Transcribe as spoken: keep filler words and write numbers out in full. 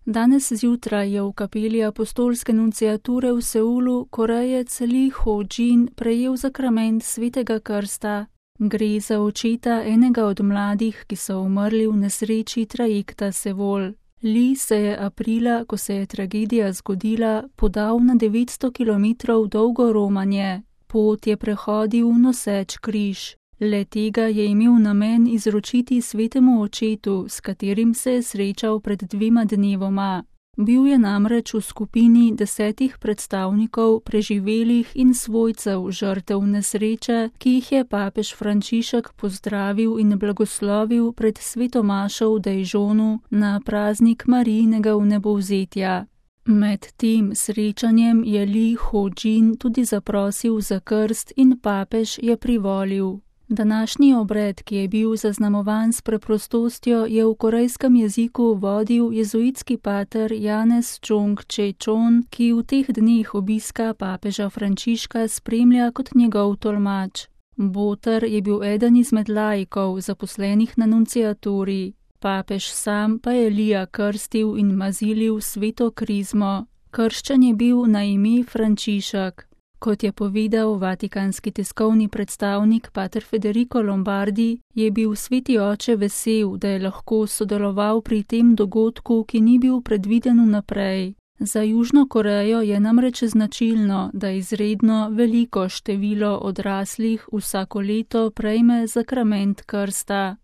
Danes zjutraj je v kapeli apostolske nunciature v Seulu Korejec Lee Ho-jin prejel zakrament svetega krsta. Gre za očeta enega od mladih, ki so umrli v nesreči trajekta Seul. Lee se je aprila, ko se je tragedija zgodila, podal na devetsto kilometrov dolgo romanje. Pot je prehodil noseč križ. Le tega je imel namen izročiti svetemu očetu, s katerim se je srečal pred dvema dnevoma. Bil je namreč v skupini desetih predstavnikov preživelih in svojcev žrtev nesreče, ki jih je papež Frančišek pozdravil in blagoslovil pred svetomašo v Dejžonu na praznik Marijinega vnebovzetja. Med tem srečanjem je Lee Ho-jin tudi zaprosil za krst in papež je privolil. Današnji obred, ki je bil zaznamovan s preprostostjo, je v korejskem jeziku vodil jezuitski pater Janez Chung Che-chon, ki v teh dneh obiska papeža Frančiška spremlja kot njegov tolmač. Boter je bil eden izmed laikov, zaposlenih na nunciaturi. Papež sam pa je Lija krstil in mazilil sveto krizmo. Krščen je bil na ime Frančišek. Kot je povedal vatikanski tiskovni predstavnik pater Federico Lombardi, je bil sveti oče vesel, da je lahko sodeloval pri tem dogodku, ki ni bil predviden vnaprej. Za Južno Korejo je namreč značilno, da izredno veliko število odraslih vsako leto prejme zakrament krsta.